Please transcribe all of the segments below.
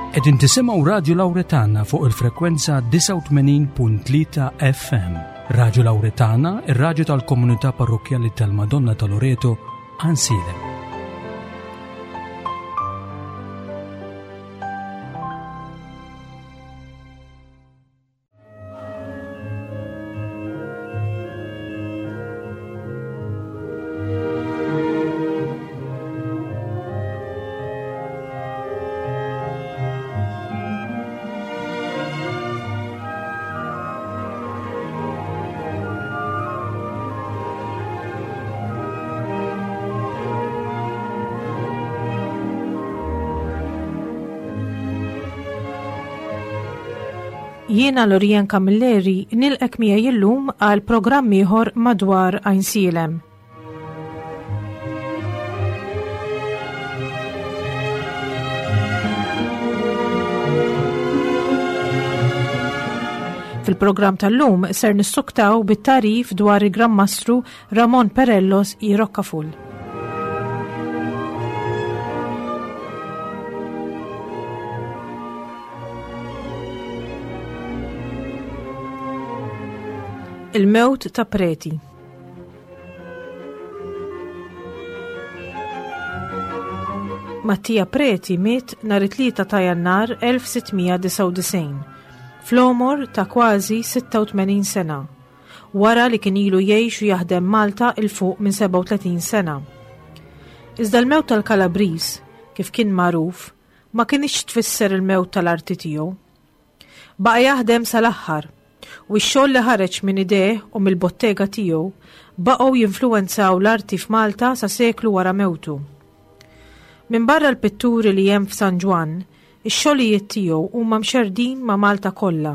Qegħdin tisimgħu Radju Lawretana fuq il-frekwenza 89.3 FM. Radju Lawretana, ir-radju tal-komunità parrokkjali tal-Madonna ta' Loreto, Ansilem. Jiena Lorian Camilleri nilqek miegħi illum għal programm ieħor madwar Għajnsielem. Fil-programm tal-lum ser nissuktaw bit-tarif dwar il-Gran Mastru Ramon Perellos i Roccaful. Il-mewt ta' Preti. Mattia Preti miet nhar it-Tlieta ta' Jannar 1699, fl-għomor ta' kważi 86 sena, wara li kien ilu jgħix u jaħdem Malta 'il fuq minn 37 sena. Iżda l-mewt tal-Kalabriż, kif kien magħruf, ma kinitx tfisser il-mewt tal-arti tiegħu. Baqa' jaħdem sal-aħħar, u x-xogħol li ħareġ minn idejh u mill-bottega tiegħu baqgħu jinfluwenzaw l-arti f'Malta sa seklu wara mewtu. Minbarra l-pitturi li hemm f'San Ġwann, ix-xogħlijiet tiegħu huma mxerrdin ma' Malta kollha,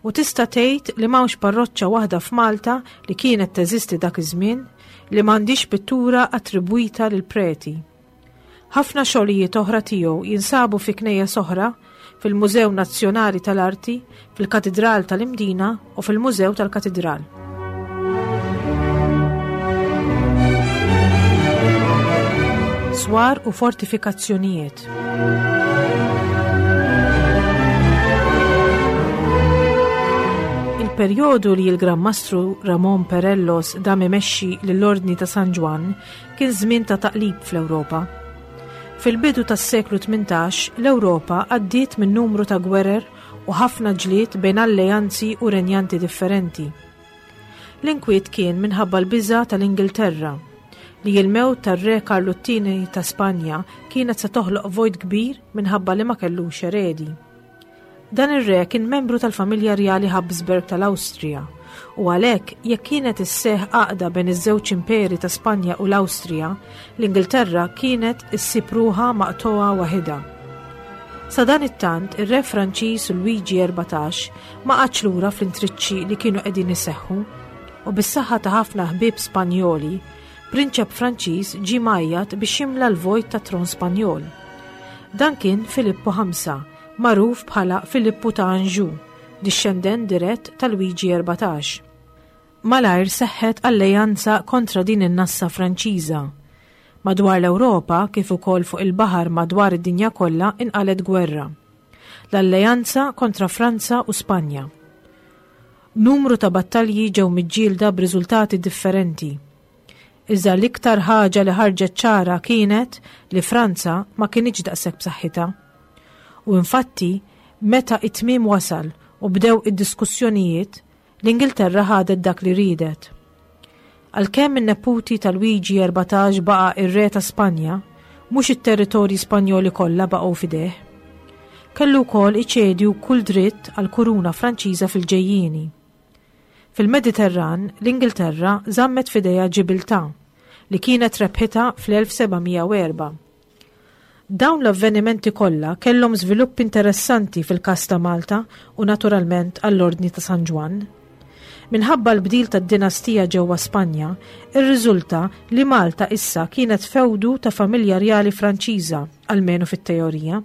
u tista' tgħid li m'hawnx parroċċa waħda f'Malta li kienet teżisti dak iż-żmien li m'għandhiex pittura attribwita lil Preti. Ħafna xogħlijiet oħra tiegħu jinsabu fi knejjes oħra, fil-Mużew Nazzjonali tal-Arti, fil-Katidral tal-Imdina u fil-Mużew tal-Katidral. Swar u fortifikazzjonijiet. Il-perjodu li l-Gran Mastru Ramon Perellos dam imexxi lill-Ordni ta' San Ġwann Kien żmien ta' taqlib fl-Ewropa. Fil-bidu tas-seklu 18, l-Ewropa għaddiet minn numru ta' gwerer u ħafna ġlied bejn alleanzi u renjanti differenti. L-inkwiet kien minħabba l-biża' tal-Ingilterra li l-mewt tar-Re Karlu t-Tieni ta' Spanja kienet se toħloq vojt kbir minħabba li ma kellux eredi. Dan ir-re kien membru tal-familja rjali Habsburg tal-Awstrija u għalhekk jekk kienet isseħħ għaqda bejn iż-żewġ imperi ta' Spanja u l-Awstrija, l-Ingilterra kienet issib ruħha maqtugħa waħidha. Sadanittant, ir-re Franċiż Luigi 14 ma qagħadx lura fl-intriċċi li kienu qegħdin iseħħu u bis-saħħa ta' ħafna ħbieb Spanjoli, prinċep Franċiż ġie mgħajjat biex jimla l-vojt tat-tron Spanjol. Dan kien Filippu 5, magħruf bħala Filippu ta' Anjou, dixxendent dirett ta' Luigi 14. Malajr seħħet alleanza kontra din in-nassa Franċiża. Madwar l-Ewropa, kif ukoll fuq il-baħar madwar id-dinja kollha inqalgħet gwerra. L-alleanza kontra Franza u Spanja. Numru ta' battalji ġew miġġielda b'riżultati differenti. Iżda l-iktar ħaġa li ħarġet ċara kienet li Franza ma kinitx daqshekk b'saħħitha. U infatti, meta t-tmiem wasal u bdew id-diskussjonijiet, l-Ingilterra ħadet dak li riedet. Għalkemm in-neputi ta' Luigi 14 baqa' ir-re ta' Spanja, mhux it-territorji Spanjoli kollha baqgħu f'idejh. Kellu wkoll iċedi kull dritt għall-kuruna Franċiża fil-ġejjieni. Fil-Mediterran, l-Ingilterra żammet f'idejha Ġibiltà, li kienet rebħitha fl-1704. Dawn l-avvenimenti kollha kellhom żviluppi interessanti fil-każ ta' Malta u naturalment għall-Ordni ta' San Ġwann. Minħabba l-bdil tad-dinastija ġewwa Spanja, irriżulta li Malta issa kienet fewdu ta' familja rjali Franċiża, almenu fit-teorija.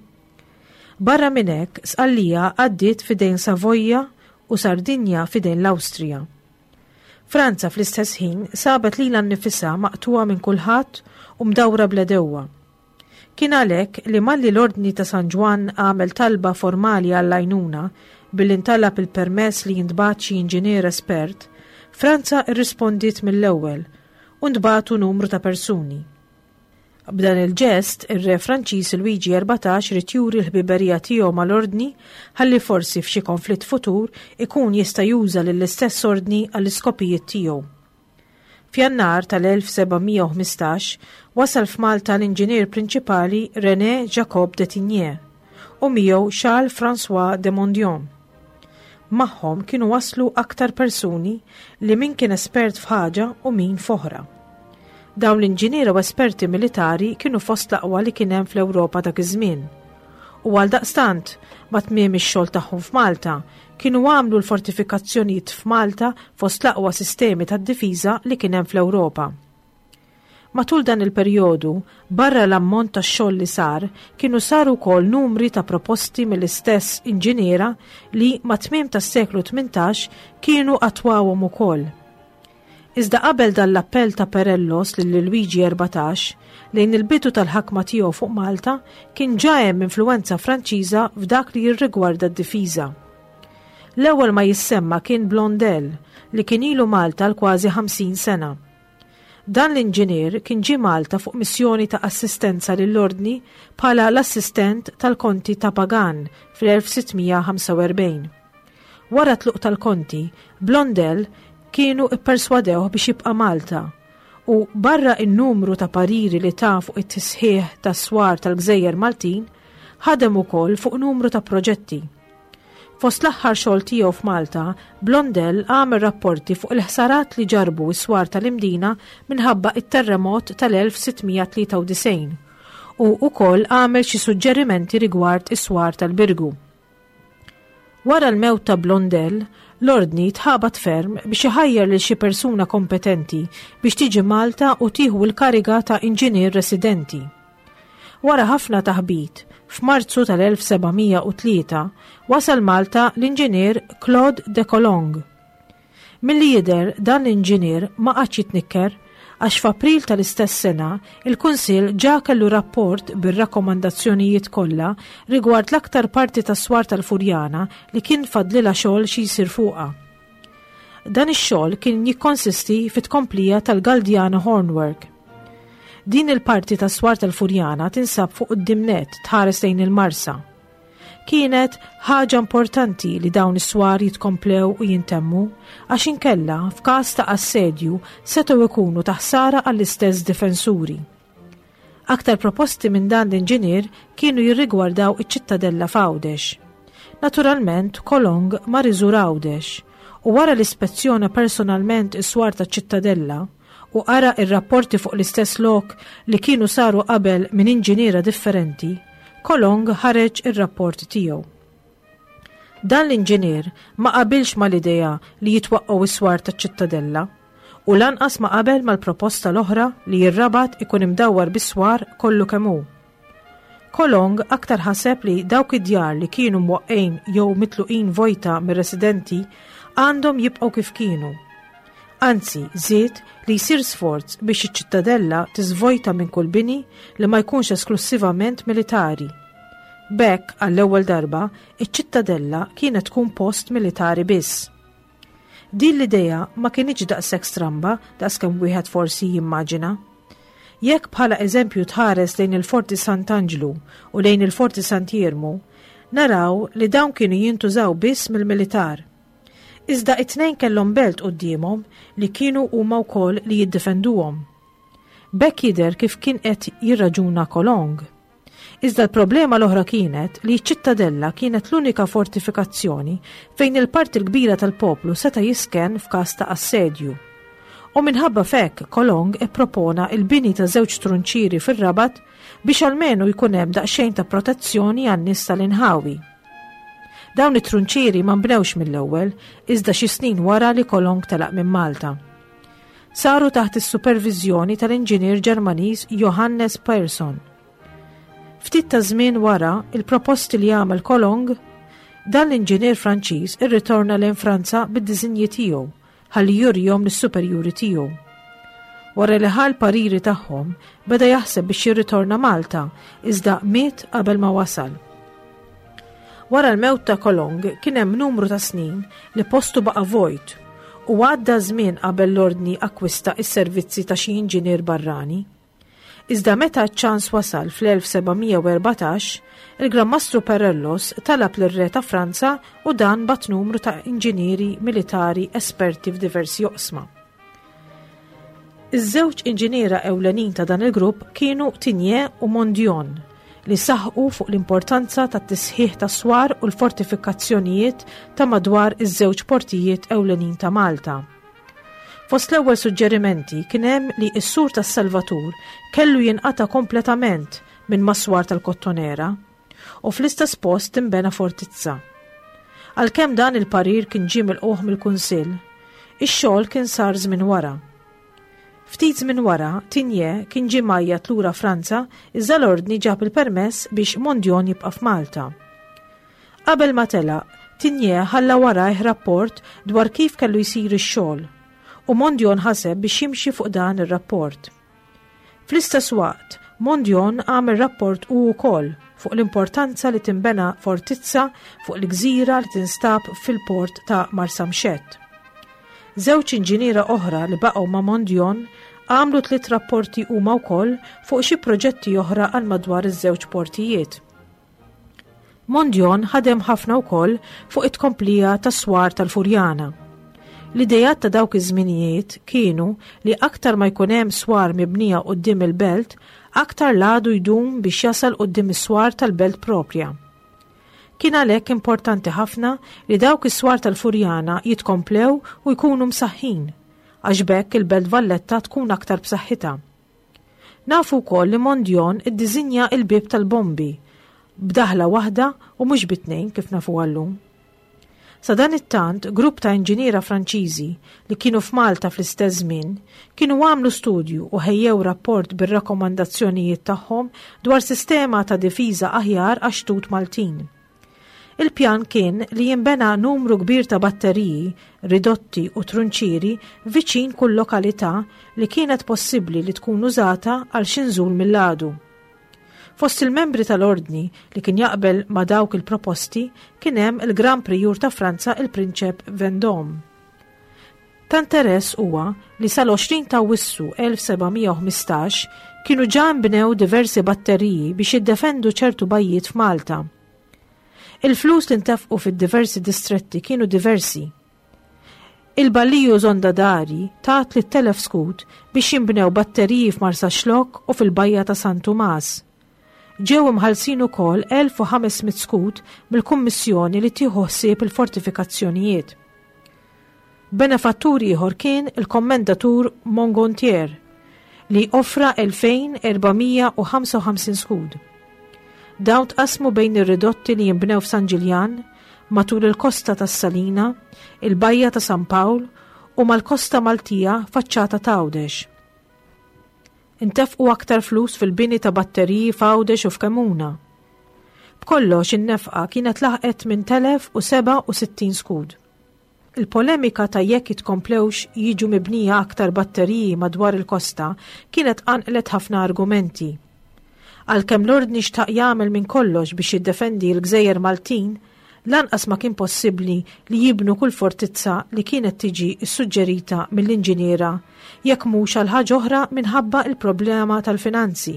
Barra minn hekk, Sqallija għaddiet f'idejn Savoja u Sardinja f'idejn l-Awstrija. Franza fl-istess ħin sabet lilha nnifisha maqtugħa minn kulħadd u mdawra bl-għedewwa. Kien għalhekk li malli l-Ordni ta' San Ġwann għamel talba formali għall-għajnuna billi ntalab il-permess li jintbagħat xi inġinier espert, Franza rrispondiet mill-ewwel u ntbagħtu numru ta' persuni. B'dan il-ġest, ir-Re Franċiż Luigi 14 ried juri l-ħbiberija tiegħu mal-Ordni ħalli forsi f'xi konflitt futur ikun jista' juża lill-istess Ordni għall-iskopijiet tiegħu. F'Jannar tal-1715 wasal f'Malta l-inġinier prinċipali René Jacob de Tigné u miegħu Charles François de Mondion. Magħhom kienu waslu aktar persuni li min kien espert f'ħaġa u min f'oħra. Dawn l-inġiniera u esperti militari kienu fost l-aqwa li kien hemm fl-Ewropa dak iż-żmien. U għaldaqstant, ma' tmiem ix-xogħol tagħhom f'Malta, kienu għamlu l-fortifikazzjonijiet f'Malta fost l-aqwa sistemi tad-difiża li kien hemm fl-Ewropa. Matul dan il-perjodu, barra l-ammont ta' xogħol li sar, kienu saru wkoll numri ta' proposti mill-istess inġiniera li mat-tmiem tas-seklu 18 kienu attwawhom ukoll. Iżda qabel dan l-appell ta' Perellos lil Luigi 14, lejn il-bidu tal-ħakma tiegħu fuq Malta, kien ġa hemm influwenza Franċiża f'dak li jirrigwarda d-difiża. L-ewwel ma jissemma kien Blondel, li kien ilu Malta għal kważi 50 sena. Dan l-inġinier kien ġie Malta fuq missjoni ta' assistenza lill-Ordni bħala l-assistent tal-Konti ta' Pagan fl-1645. Wara t-tluq tal-Konti, Blondel kienu pperswadewh biex jibqa' Malta u barra n-numru ta' pariri li ta fuq it-tisħiħ tas-swar tal-gżejjer Maltin, ħadem ukoll fuq numru ta' proġetti. Fost l-aħħar xogħol tiegħu f'Malta, Blondel għamel rapporti fuq il-ħsarat li ġarrbu s-swar tal-Imdina minħabba t-terremot tal-1693 u wkoll għamel xi suġġerimenti rigward is-swar tal-Birgu. Wara l-mewt ta' Blondel, l-Ordni tħabat ferm biex iħajjar lil xi persuna kompetenti biex tiġi Malta u tieħu l-kariga ta' inġinier residenti. Wara ħafna taħbit, f'Marzu tal-1703 wasal Malta l-inġinier Claude de Colong. Milli jidher dan l-inġinier ma qagħadx jitnikker għax f'April tal-istess sena il-Kunsill ġa kellu rapport bir-rakkomandazzjonijiet kollha rigward l-aktar parti tas-swar tal-Furjana li kien fadlilha xogħol xi jsir fuqha. Dan ix-xogħol kien jikkonsisti fit-tkomplija tal-Galdiana Hornwork. Din il-parti tas-swar tal-Furjana tinsab fuq quddiem nett tħares lejn il-Marsa. Kienet ħaġa importanti li dawn is-swar jitkomplew u jintemmu għax inkella f'każ ta' assedju setgħu jkunu ta' ħsara għall-istess difensuri. Aktar proposti minn dan l-inġinier kienu jirrigwardaw iċ-Ċittadella f'Għawdex. Naturalment, Kolong mar iżur Għawdex u wara li spezzjona personalment is-swar taċ-Ċittadella u qara r-rapporti fuq l-istess lok li kienu saru qabel minn inġiniera differenti, Kolong ħareġ ir-rapport tiegħu. Dan l-inġinier ma qabilx mal-idea li jitwaqqgħu s-swar taċ-Ċittadella u lanqas ma qabel mal-proposta l-oħra li r-Rabat ikun imdawwar bis-swar kollu kemm hu. Kolong aktar ħaseb li dawk id-djar li kienu mwaqqgħin jew mitluqin vojta mir-residenti għandhom jibqgħu kif kienu. Anzi, żied li jsir sforz biex iċ-Ċittadella tiżvojta minn kull bini li ma jkunx esklussivament militari. B'hekk, għall-ewwel darba, iċ-Ċittadella kienet tkun post militari biss. Din l-idea ma kinitx daqshekk stramba daqskemm wieħed forsi jimmaġina. Jekk bħala eżempju tħares lejn il-Forti Sant'Anġlu u lejn il-Forti Sant'Iermu, naraw li dawn kienu jintużaw biss mill-militar. Iżda it-tnejn kellhom belt quddiemhom li kienu huma wkoll li jiddefenduhom. B'hekk jidher kif kien qed jirraġuna Colong. Iżda l-problema l-oħra kienet li ċ-Ċittadella kienet l-unika fortifikazzjoni fejn il-parti l-kbira tal-poplu seta' jiskenn f'każ ta' assedju. U minħabba f'hekk Colong ippropona l-bini ta' żewġ trunċieri fir-Rabat biex almenu jkun hemm daqsxejn ta' protezzjoni għan-nies tal-inħawi. Dawn it-trunċieri ma nbnewx mill-ewwel, iżda xi snin wara li Colong telaq minn Malta. Saru taħt is-superviżjoni tal-inġinier Ġermaniż Johannes Persson. Ftit ta' żmien wara il-proposti li għamel Colong, dan l-inġinier Franċiż irritorna lejn Franza bid-disinji tiegħu ħalli jurihom lis-superjuri tiegħu. Wara li ħa l-pariri tagħhom, beda jaħseb biex jirritorna Malta, iżda miet qabel ma wasal. Wara l-mewt ta' Kolong kien hemm numru ta' snin li postu baqa' vojt u għadda żmien qabel l-Ordni akkwista s-servizzi ta' xi inġinier barrani. Iżda meta ċ-ċans wasal fl-1714, il-Gran Mastru Perellos talab lir-Re ta' Franza u dan bagħat numru ta' inġinieri militari esperti f'diversi oqsma. Iż-żewġ inġiniera ewlenin ta' dan il-grupp kienu Tigné u Mondion, li saħqu fuq l-importanza tat-tisħiħ tas-swar u l-fortifikazzjonijiet ta' madwar iż-żewġ portijiet ewlenin ta' Malta. Fost l-ewwel suġġerimenti kien hemm li s-sur tas-Salvatur kellu jinqata' kompletament minn mas-swar tal-Kottonera u fl-istess post tinbena fortizza. Għalkemm dan il-parir kien ġie milqugħ mill-Kunsill, ix-xogħol kien sar żmien wara. Ftit żmien wara, Tigné kien ġie mgħajjat lura Franza iżda l-Ordni ġab il-permess biex Mondion jibqa' f'Malta. Qabel ma telaq, Tigné ħalla warajh rapport dwar kif kellu jsir ix-xogħol u Mondion ħaseb biex jimxi fuq dan ir-rapport. Fl-istess waqt, Mondion għamel rapport hu wkoll fuq l-importanza li tinbena fortizza fuq il-gżira li tinstab fil-port ta' Marsamxett. Żewġ inġiniera oħra li baqgħu ma' Mondion għamlu tliet rapporti huma wkoll fuq xi proġetti oħra għal madwar iż-żewġ portijiet. Mondion ħadem ħafna wkoll fuq it-tkomplija tas-swar tal-Furjana. L-ideat ta' dawk iż-żminijiet kienu li aktar ma jkun hemm swar mibnija quddiem il-belt, aktar l-għadu jdum biex jasal quddiem is-swar tal-belt proprja. Kien għalhekk importanti ħafna li dawk is-swar tal-Furjana jitkomplew u jkunu msaħħin, għax b'hekk il-Belt Valletta tkun aktar b'saħħitha. Nafu wkoll li Mondion iddiżinja il-bieb tal-bombi b'daħla waħda u mhux bi tnejn kif nafuha llum. Sadanittant, grupp ta' inġiniera Franċiżi li kienu f'Malta fl-istess żmien kienu għamlu studju u ħejjew rapport bir-rakkomandazzjonijiet tagħhom dwar sistema ta' difiża aħjar għax-xtut Maltin. Il-pjan kien li jinbena numru kbir ta' batteriji, ridotti u trunċieri viċin kull lokalità li kienet possibbli li tkun użata għal xi nżul mill-għadu. Fost il-membri tal-Ordni li kien jaqbel ma' dawk il-proposti kien hemm il-Gran Prijur ta' Franza il-Prinċep Vendôme. Ta' interess huwa li sal-20 ta' Awwissu 1715 kienu ġa nbnew diversi batteriji biex jiddefendu ċertu bajjiet f'Malta. Il-flus li ntefqu fid-diversi distretti kienu diversi. Il-Balliju Zonda Dari ta 3,000 skud biex jinbnew batteriji f'Marsaxlokk u fil-Bajja ta' San Tumas. Ġew imħallsin ukoll 1,500 skud mill-Kummissjoni li tieħu ħsieb il-fortifikazzjonijiet. Benefattur ieħor kien il-Kommendatur Mongontier li offra 2,455 skud. Dawn tqassmu bejn ir-ridotti li jinbnew f'San Ġiljan, matul il-kosta tas-Salina, il-Bajja ta' San Pawl u mal-kosta Maltija faċċata t'Għawdex. Intefqu aktar flus fil-bini ta' batteriji f'Għawdex u f'Kemuna. B'kollox in-nefqa kienet laħqet 8,067 skud. Il-polemika ta' jekk jitkomplewx jiġu mibnija aktar batteriji madwar il-kosta kienet qanqlet ħafna argumenti. Għalkemm l-Ordni xtaq jagħmel minn kollox biex jiddefendi l-gżejjer Maltin, lanqas ma kien possibbli li jibnu kull fortizza li kienet tiġi ssuġġerita mill-inġiniera jekk mhux għal ħaġa oħra minħabba l-problema tal-finanzi.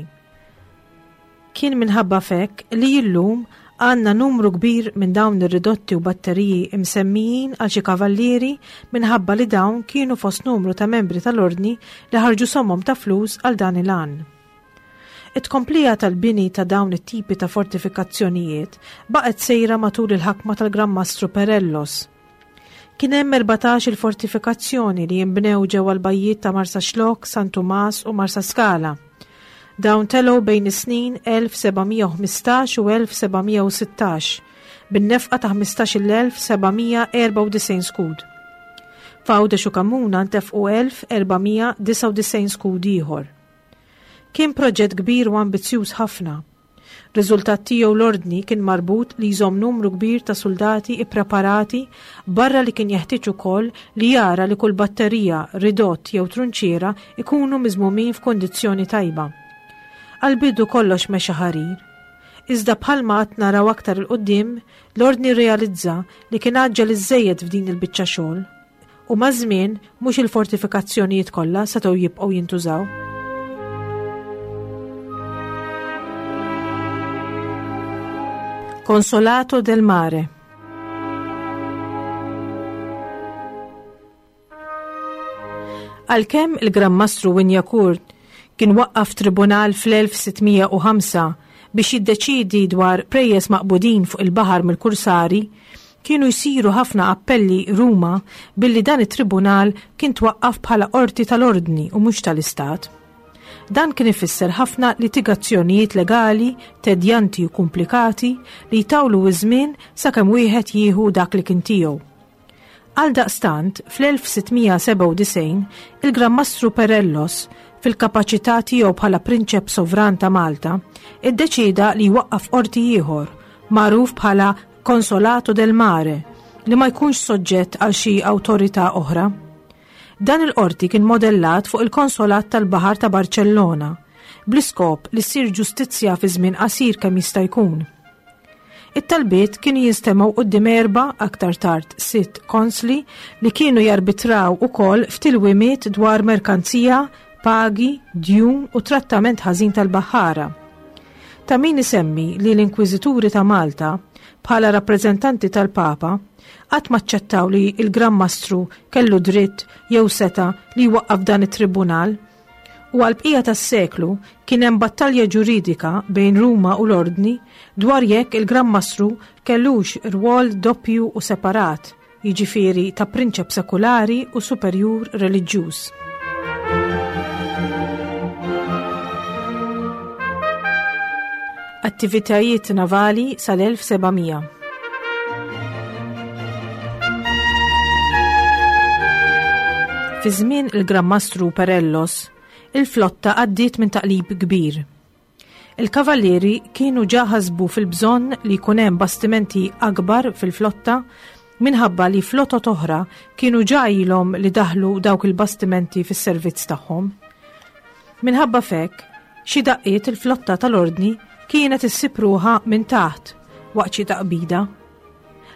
Kien minħabba f'hekk li illum għandna numru kbir minn dawn ir-ridotti u batteriji imsemmijin għal xi kavallieri minħabba li dawn kienu fost numru ta' membri tal-Ordni li ħarġu somom ta' flus għal dan il-għan. It-tkomplija tal-bini ta' dawn it-tipi ta' fortifikazzjonijiet baqgħet sejra matul il-ħakma tal-Gran Mastru Perellos. Kien hemm 14 il-fortifikazzjoni li jinbnew ġewwa l-bajjiet ta' Marsaxlokk, San Tumas u Marsaskala. Dawn telgħu bejn is-snin 1715 u 1716 bin-nefqa ta' 15,794 skud. F'Għawdex u Kamuna ntefqu 1,499 skud ieħor. Kien proġett kbir u ambizzjuż ħafna. Riżultat tiegħu l-Ordni kien marbut li jżomm numru kbir ta' suldati ippreparati barra li kien jeħtieġ ukoll li jara li kull batterija, ridott jew trunċiera ikunu miżmumin f'kundizzjoni tajba. Għall-bidu kollox mexa ħarir. Iżda bħalma għad naraw aktar 'il quddiem, l-Ordni rrealizza li kien għaġġel iżżejjed f'din il-biċċa xogħol. U maż-żmien mhux il-fortifikazzjonijiet kollha setgħu jibqgħu jintużaw. Consolato del Mare Għalkemm il-Gran Mastru Wignacourt kien waqqaf tribunal fl-1605 biex jiddeċiedi dwar prejjeż maqbudin fuq il-baħar mill-kursari, kienu jsiru ħafna appelli Ruma billi dan it-tribunal kien twaqqaf bħala qorti tal-Ordni u mhux tal-Istat. Dan kien ifisser ħafna litigazzjonijiet legali tedjanti u kumplikati li jtawlu ż-żmien sakemm wieħed jieħu dak li kien tiegħu. Għaldaqstant, fl-1697, il-Gran Mastru Perellos, fil-kapaċità tiegħu bħala Prinċep Sovran ta' Malta, iddeċieda li jwaqqaf qorti ieħor, magħruf bħala Consolato del Mare, li ma jkunx soġġett għal xi awtorità oħra. Dan il-qorti kien modellat fuq il-Konsolat tal-Baħar ta' Barċellona, bl-iskop li ssir ġustizzja fi żmien qasir kemm jista' jkun. It-talbiet kienu jinstemgħu quddiem erba', aktar tard sitt, konsli li kienu jarbitraw ukoll f'tilwimiet dwar merkanzija, pagi, djun u trattament ħażin tal-baħħara. Ta' min isemmi li l-Inkwiżituri ta' Malta, bħala rappreżentanti tal-Papa, qatt m'aċċettaw li l-Gran Mastru kellu dritt jew setgħa li jwaqqaf dan it-tribunal U għall-bqija tas-seklu kien hemm battalja ġuridika bejn Ruma u l-Ordni dwar jekk il-Gran Mastru kellux rwol doppju u separat, jiġifieri ta' prinċep sekulari u superjur reliġjuż. Attivitajiet navali sal-1700. Fi żmien il-Gran Mastru Perellos, il-flotta għaddiet minn taqlib kbir. Il-kavallieri kienu ġa ħasbu fil-bżonn li jkun hemm bastimenti akbar fil-flotta minħabba li flotot oħra kienu ġa ilhom li daħlu dawk il-bastimenti fis-servizz tagħhom. Minħabba f'hekk, xi daqqiet il-flotta tal-Ordni kienet issib ruħha minn taħt waqt xi taqbida.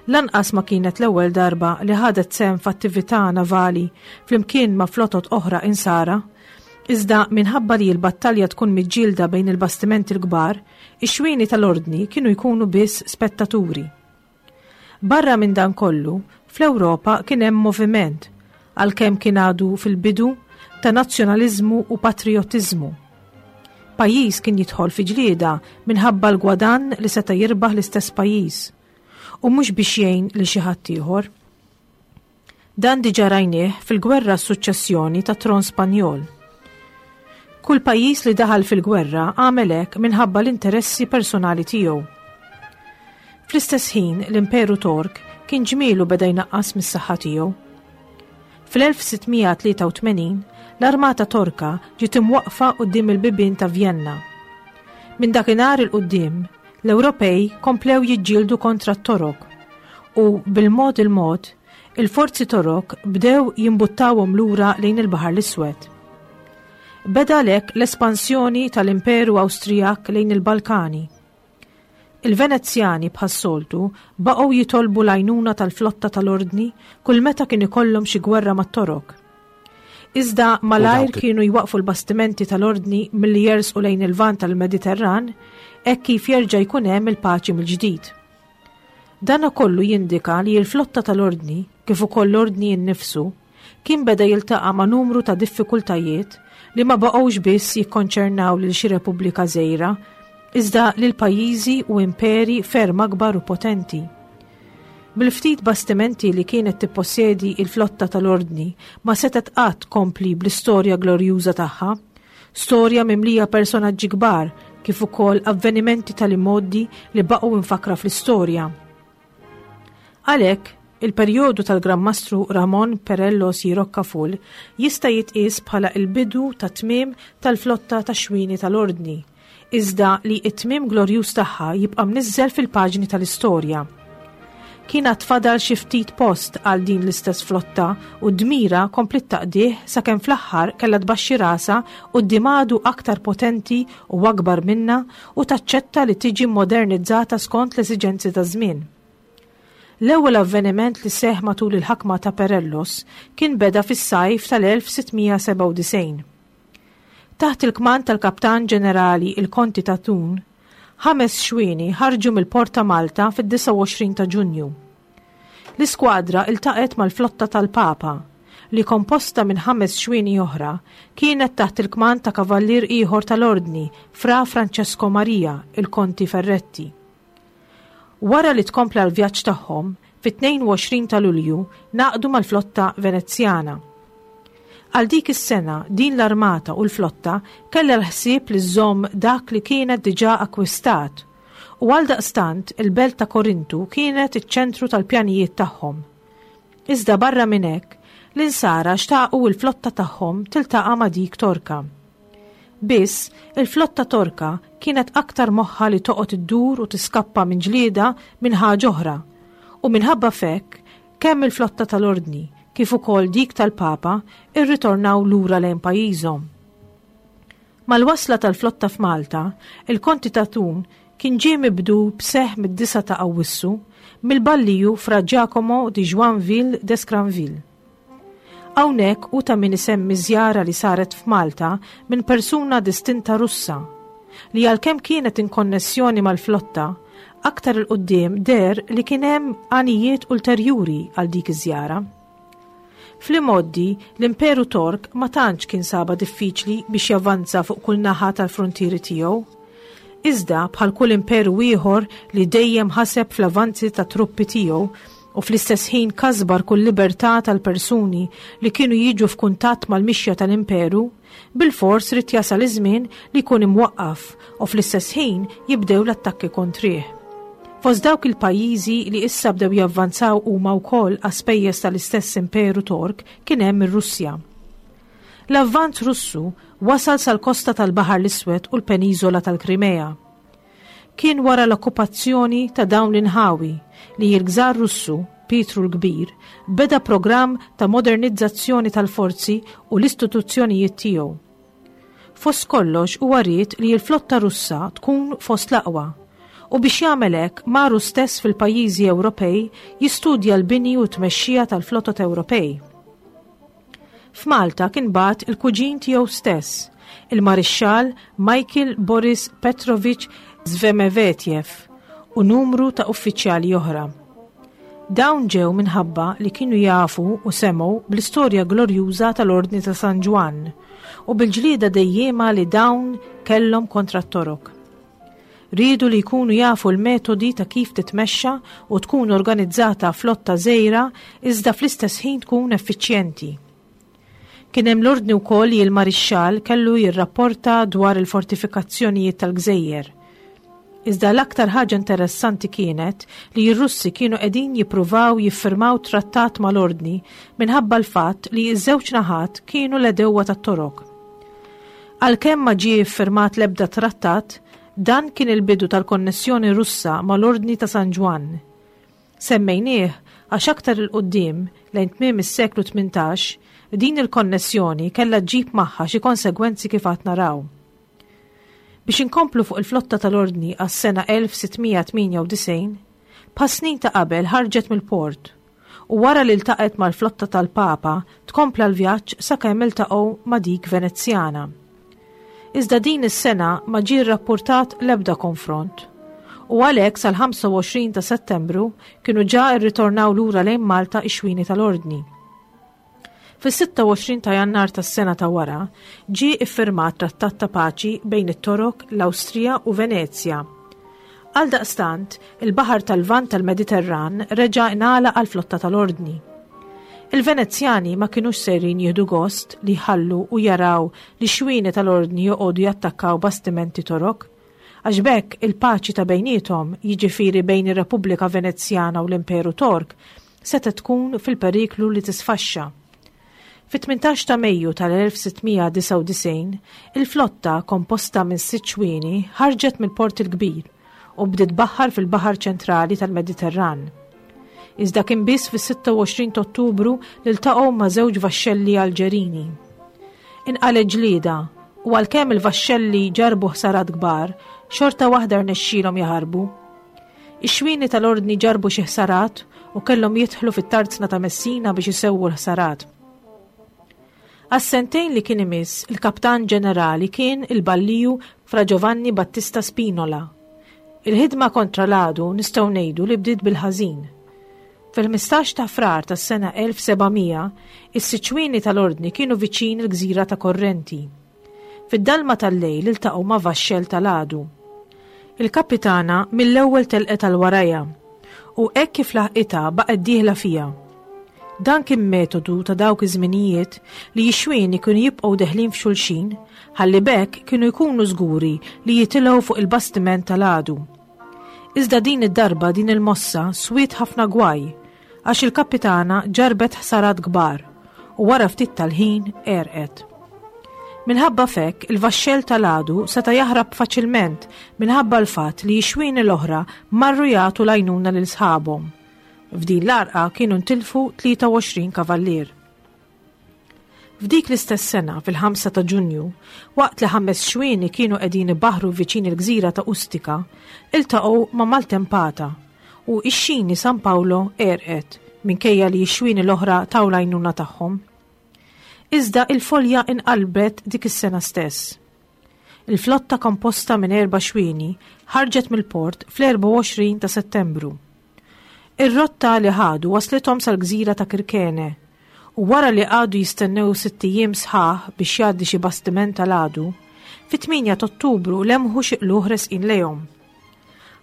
Lanqas ma kienet l-ewwel darba li ħadet sehem f'attività navali flimkien ma' flotot oħra Insara, iżda minħabba li l-battalja tkun miġġielda bejn il-bastimenti l-kbar, ix-xwieni tal-Ordni kienu jkunu biss spettaturi. Barra minn dan kollu, fl-Ewropa kien hemm moviment, għalkemm kien għadu fil-bidu, ta' nazzjonaliżmu u patrijottiżmu. Pajjiż kien jidħol fi ġlieda minħabba l-gwadann li seta' jirbaħ l-istess pajjiż, u mhux biex jgħin lil xi ħadd ieħor. Dan diġà rajnieh fil-gwerra għas-suċċessjoni tat-tron Spanjol. Kull pajjiż li daħal fil-gwerra għamel hekk minħabba l-interessi personali tiegħu. Fl-istess ħin l-Imperu Tork kien ġmielu beda jnaqqas mis-saħħa tiegħu. Fl-1683 l-armata Torka ġiet imwaqqfa quddiem il-bibien ta' Vjenna. Minn dakinhar 'il quddiem, L-Ewropej komplew jiġġieldu kontra t-Torok u, bil-mod il-mod, il-forzi Torok bdew jimbuttawhom lura lejn il-Baħar l-Iswed. Beda għalhekk l-espansjoni tal-Imperu Awstrijak lejn il-Balkani. Il-Venezjani bħas-soltu baqgħu jitolbu l-għajnuna tal-flotta tal-Ordni kull meta kien ikollhom xi gwerra mat-Torok. Iżda malajr kienu jwaqfu l-bastimenti tal-Ordni milli jersqu lejn il-Lvant tal-Mediterran hekk kif jerġa' jkun hemm il-paċi mill-ġdid. Dana kollu jindika li l-flotta tal-Ordni, kif ukoll l-Ordni innifsu, kien beda jiltaqa' ma' numru ta' diffikultajiet li ma baqgħux biss jikkonċernaw lil xi repubblika żgħira, iżda lil pajjiżi u imperi ferm akbar u potenti. Bil-ftit bastimenti li kienet tippossjedi il-flotta tal-Ordni ma setgħet qatt tkompli bl-istorja glorjuża tagħha, storja mimlija personaġġi kbar kif ukoll avvenimenti tal-imgħoddi li baqgħu mfakkra fl-istorja. Għalhekk, il-perjodu tal-Gran Mastru Ramon Perello y Rocafull jista' jitqies bħala l-bidu tat-tmiem tal-flotta tax-xwieni tal-Ordni. iżda li t-tmiem glorjuż tagħha jibqa' mniżżel fil-paġni tal-istorja. Kien għad fadal xi ftit post għal din l-istess flotta u d-dmira kompliet taqdih sakemm fl-aħħar kellha tbaxxi rasha quddiem għadu aktar potenti u akbar minnha u taċċetta li tiġi mmodernizzata skont l-esiġenzi taż-żmien. L-ewwel avveniment li seħħ matul il-ħakma ta' Perellos kien beda fis-sajf tal-1697. Taħt il-kmand tal-Kaptan Ġenerali il-Konti ta' Thun, ħames xwieni ħarġu mill-Port ta' Malta fid-29 ta' Ġunju. L-iskwadra iltaqgħet mal-flotta tal-Papa, li komposta minn ħames xwieni oħra, kienet taħt il-kmand ta' kavallier ieħor tal-Ordni, Fra Francesco Maria, il-Konti Ferretti. Wara li tkompla l-vjaġġ tagħhom, fit-22 ta' Lulju ngħaqdu mal-flotta Venezjana. Għal dik is-sena din l-armata u l-flotta kellha l-ħsieb li żżomm dak li kienet diġà akkwistat u għaldaqstant il-belt ta' Korintu kienet iċ-ċentru tal-pjanijiet tagħhom. Iżda barra minn hekk, l-Insara xtaqu l-flotta tagħhom tiltaqa' ma' dik Torka. Biss, il-flotta Torka kienet aktar moħħha li toqgħod iddur u tiskappa minn ġlieda minn ħaġa oħra, u minħabba f'hekk, kemm il-flotta tal-Ordni kif ukoll dik tal-Papa rritornaw lura lejn pajjiżhom. Mal-wasla tal-flotta f'Malta, il-Konti ta' Thun kien ġie mibdul b'seħħ mid-9 ta' Awwissu mill-Balliju Fra Giacomo di Joinville d'Escranville. Hawnhekk hu ta' min isemmi żjara li saret f'Malta minn persuna distinta Russa, li għalkemm kienet in konnessjoni mal-flotta, aktar 'il quddiem deher li kien hemm għanijiet ulterjuri għal dik iż-żjara. Fl-imgħoddi, l-Imperu Tork ma tantx kien sabha diffiċli biex javvanza fuq kull naħa tal-fruntieri tiegħu. Iżda, bħal kull imperu ieħor li dejjem ħaseb fl-avanzi tat-truppi tiegħu u fl-istess ħin kasbar kull libertà tal-persuni li kienu jiġu f'kuntatt mal-mixja tal-imperu, bilfors ried jasal iż-żmien li jkun imwaqqaf u fl-istess ħin jibdew l-attakki kontrih. Fost dawk il-pajjiżi li issa bdew javvanzaw huma wkoll għas-spejjeż tal-istess imperu Tork kien hemm ir-Russja. L-avvanz Russu wasal sal-kosta tal-Baħar l-Iswed u l-peniżola tal-Krimea. Kien wara l-okkupazzjoni ta' dawn l-inħawi li l-Gżar Russu, Pietru l-Kbir, beda programm ta' modernizzazzjoni tal-forzi u l-istituzzjonijiet tiegħu. Fost kollox huwa ried li l-flotta Russa tkun fost l-aqwa u biex jagħmel hekk mar hu stess fil-pajjiżi Ewropej jistudja l-bini u t-tmexxija tal-flotot Ewropej. F'Malta kien bagħat il-kuġin tiegħu stess, il-Marixxall Michael Boris Petrovich Zvemevetjev u numru ta' uffiċjali oħra. Dawn ġew minħabba li kienu jafu u semgħu bl-istorja glorjuża tal-Ordni ta' San Ġwann u bil-ġlieda dejjiema li dawn kellhom kontra t-Torok. Riedu li jkunu jafu l-metodi ta' kif titmexxa u tkun organizzata flotta żgħira iżda fl-istess ħin tkun effiċjenti. Kien hemm l-ordni wkoll li l-Marixxall kellu jirrapporta dwar il-fortifikazzjonijiet tal-gżejjer. Iżda l-aktar ħaġa interessanti kienet li r-Russi kienu qegħdin jippruvaw jiffirmaw trattat mal-Ordni minħabba l-fatt li ż-żewġ naħat kienu l-għedewwa tat-Torok. Għalkemm ma ġie ffirmat l-ebda trattat, dan kien il-bidu tal-konnessjoni Russa mal-Ordni ta' San Ġwann. Semmejnieh għax aktar 'il quddiem, lejn tmiem is-seklu 18, din il-konnessjoni kellha ġġib magħha xi konsegwenzi kif għad naraw. Biex inkomplu fuq il-flotta tal-Ordni għas-sena 1698, bħas-snin ta' qabel ħarġet mill-port u wara li ltaqgħet mal-flotta tal-Papa tkompla l-vjaġġ sakemm iltaqgħu ma' dik Venezjana. Iżda din is-sena ma ġie rrappurtat l-ebda konfront u għalhekk sal-25 ta' Settembru kienu ġa rritornaw lura lejn Malta x-xwieni tal-Ordni. Fis-26 ta' Jannar tas-sena ta' wara, ġie iffirmat trattat ta' paċi bejn it-Torok, l-Awstrija u Venezja. Għaldaqstant, il-Baħar tal-Lvant tal-Mediterran reġa' ingħalaq għall-flotta tal-Ordni. Il-Venezjani ma kinux sejrin jieħdu gost li jħallu u jaraw li xwieni tal-Ordni joqogħdu jattakkaw bastimenti Torok, għax b'hekk il-paċi ta' bejniethom, jiġifieri bejn ir-Repubblika Venezjana u l-Imperu Tork, setgħet tkun fil-periklu li tisfaxxa. Fit-18 ta' Mejju tal-1699, il-flotta komposta minn sitt xwieni ħarġet mill-Port il-Kbir u bdiet tbaħħar fil-Baħar Ċentrali tal-Mediterran. Iżda kien biss fis-26 ta' Ottubru li ltaqgħu ma' żewġ vaxxelli Alġerini. Inqalgħet ġlieda u għalkemm il-vaxxelli ġarrbu ħsarat kbar, xorta waħda rnexxielhom jaħarbu. Ix-xwieni tal-Ordni ġarrbu xi ħsarat u kellhom jidħlu fit-tarzna ta' Messina biex isewwu l-ħsarat. Għas-sentejn li kien imiss, il-Kaptan Ġenerali kien il-Balliju Fra Giovanni Battista Spinola. Il-ħidma kontra l-għadu nistgħu ngħidu li bdiet bil-ħażin. Fil-15 ta' Frar tas-sena 1700, is-siċwini tal-Ordni kienu viċin il-gżira ta' Korrenti. Fid-dalma tal-lejl iltaqgħu ma' vaxxell tal-għadu. Il-kapitana mill-ewwel telqet għal warajha u hekk kif laħqitha baqgħet dieħla fiha. Dan kien metodu ta' dawk iż-żminijiet li x-xwieni kienu jibqgħu deħlin f'xulxin ħalli b'hekk kienu jkunu żguri li jitilgħu fuq il-bastiment tal-għadu. Iżda din id-darba din il-mossa swiet ħafna gwaj għax il-kapitana ġarrbet ħsarat kbar u wara ftit tal-ħin għerqet. Minħabba f'hekk, il-vaxxell tal-għadu seta' jaħrab faċilment minħabba l-fatt li x-xwieni l-oħra marru jagħtu l-għajnuna lil sħabhom. F'din l-għarqa kienu ntilfu 23 kavallier. F'dik l-istess sena, fil-5 ta' Ġunju, waqt li ħames xwieni kienu qegħdin ibaħħru viċin il-gżira ta' Ustica, iltaqgħu ma' maltempata u x-xini San Paolo għerqet minkejja li x-xwieni l-oħra taw l-għajnuna tagħhom. Iżda il-folja inqalbet dik is-sena stess. Il-flotta komposta minn erba' xwieni ħarġet mill-port fl-24 ta' Settembru. Ir-rotta li ħadu waslithom sal-gżira ta' Kirkene u wara li qagħdu jistennew sitt ijiem sħaħ biex jgħaddi xi bastiment tal-għadu, fit-8 t'Ottubru lemħu xi qlugħ resqin lejhom.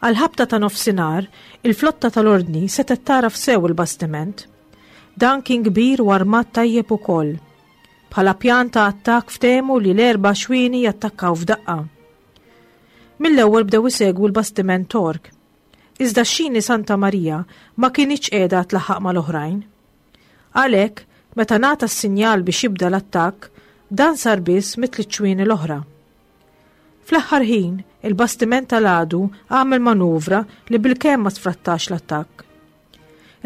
Għall-ħabta ta' nofsinhar, il-flotta tal-Ordni setgħet tagħraf sew il-bastiment. Dan kien kbir u armat tajjeb ukoll. Bħala pjan ta' attakk ftehmu li l-erba' xwieni jattakkaw f'daqqa. Mill-ewwel bdew isegwu l-bastiment Tork. Iżda x-xini Santa Marija ma kinitx qiegħda tlaħħaq mal-oħrajn. Għalhekk, meta ngħata s-sinjal biex jibda l-attakk, dan sar biss mit-tliet xwieni l-oħra. Fl-aħħar ħin, il-bastiment tal-għadu għamel manuvra li bilkemm ma sfrattax l-attakk.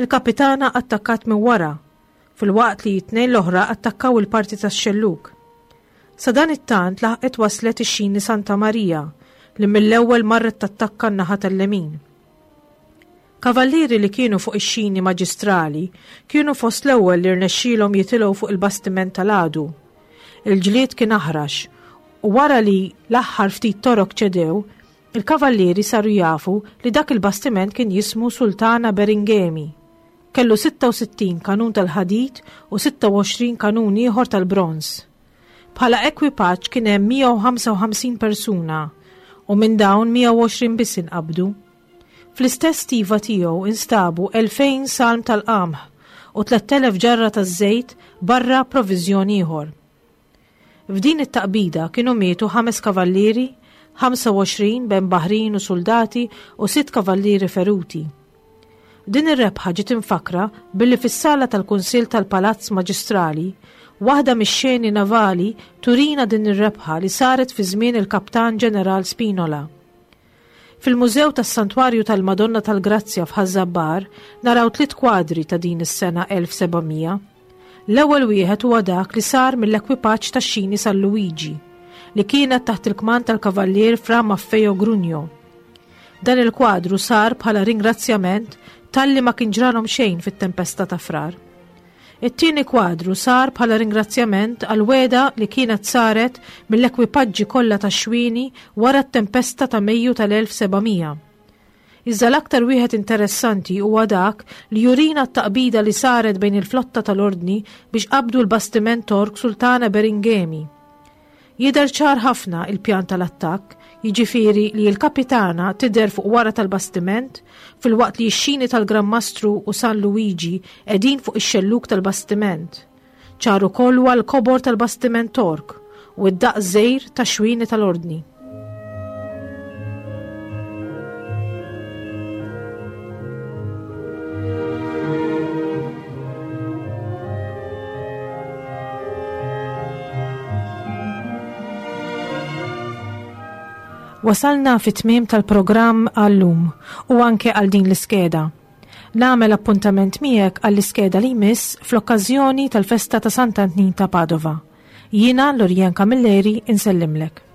Il-kapitana attakkat minn wara, filwaqt li t-tnejn l-oħra attakkaw il-parti tax-xellug. Sadanittant laħqet waslet ix-xini Santa Marija li mill-ewwel marret tattakka n-naħa tal-lemin. Kavallieri li kienu fuq ix-xini maġistrali kienu fost l-ewwel li rnexxielhom jitilgħu fuq il-bastiment tal-għadu. Il-ġlied kien aħrax u wara li l-aħħar ftit torok ċedew, il-kavallieri saru jafu li dak il-bastiment kien jismu Sultana Beringemi. Kellu 66 kanun tal-ħadid u 26 kanun ieħor tal-bronż. Bħala ekwipaġġ kien hemm 155 persuna u minn dawn 120 biss inqabdu. Fl-istess stiva tiegħu instabu 2000 salm tal-qamħ u 3000 ġarra taż-żejt barra proviżjon ieħor. F'din it-taqbida kienu mietu ħames kavallieri, 25 bejn baħrin u suldati u sitt kavallieri feruti. Din ir-rebħa ġiet imfakkra billi fis-sala tal-Kunsill tal-Palazz Maġistrali, waħda mix-xeni navali turina din ir-rebħa li saret fi żmien il-Kaptan Ġeneral Spinola. Fil-Mużew tas-Santwarju tal-Madonna tal-Grazzja f'Ħaż-Żabbar naraw tliet kwadri ta' din is-sena 1700. L-ewwel wieħed huwa dak li sar mill-ekwipaġġ tax-xini San Luigi, li kienet taħt il-kmand tal-Kavallier Fra Maffeo Grugno. Dan il-kwadru sar bħala ringrazzjament talli ma kien ġralhom xejn fit-tempesta ta' Frar. It-tieni kwadru sar bħala ringrazzjament għall-wegħda li kienet saret mill-ekwipaġġi kollha tax-xwieni wara t-tempesta ta' Mejju tal-1700. Iżda l-aktar wieħed interessanti huwa dak li jurina t-taqbida li saret bejn il-flotta tal-Ordni biex qabdu l-bastiment Tork Sultana Beringemi. Jidher ċar ħafna il-pjan tal-attakk, jiġifieri li l-kapitana tidher fuq wara tal-bastiment, filwaqt li x-xini tal-Gran Mastru u San Luigi qegħdin fuq ix-xellug tal-bastiment. Ċar ukoll huwa l-kobor tal-bastiment Tork u d-daqs żgħir tax-xwieni tal-Ordni. Wasalna fit-tmiem tal-programm għal-lum u anke għal din l-iskeda. Nagħmel appuntament miegħek għall-iskeda li jmiss fl-okkażjoni tal-festa ta' Sant'Antnin ta' Padova. Jiena Lorian Camilleri insellimlek.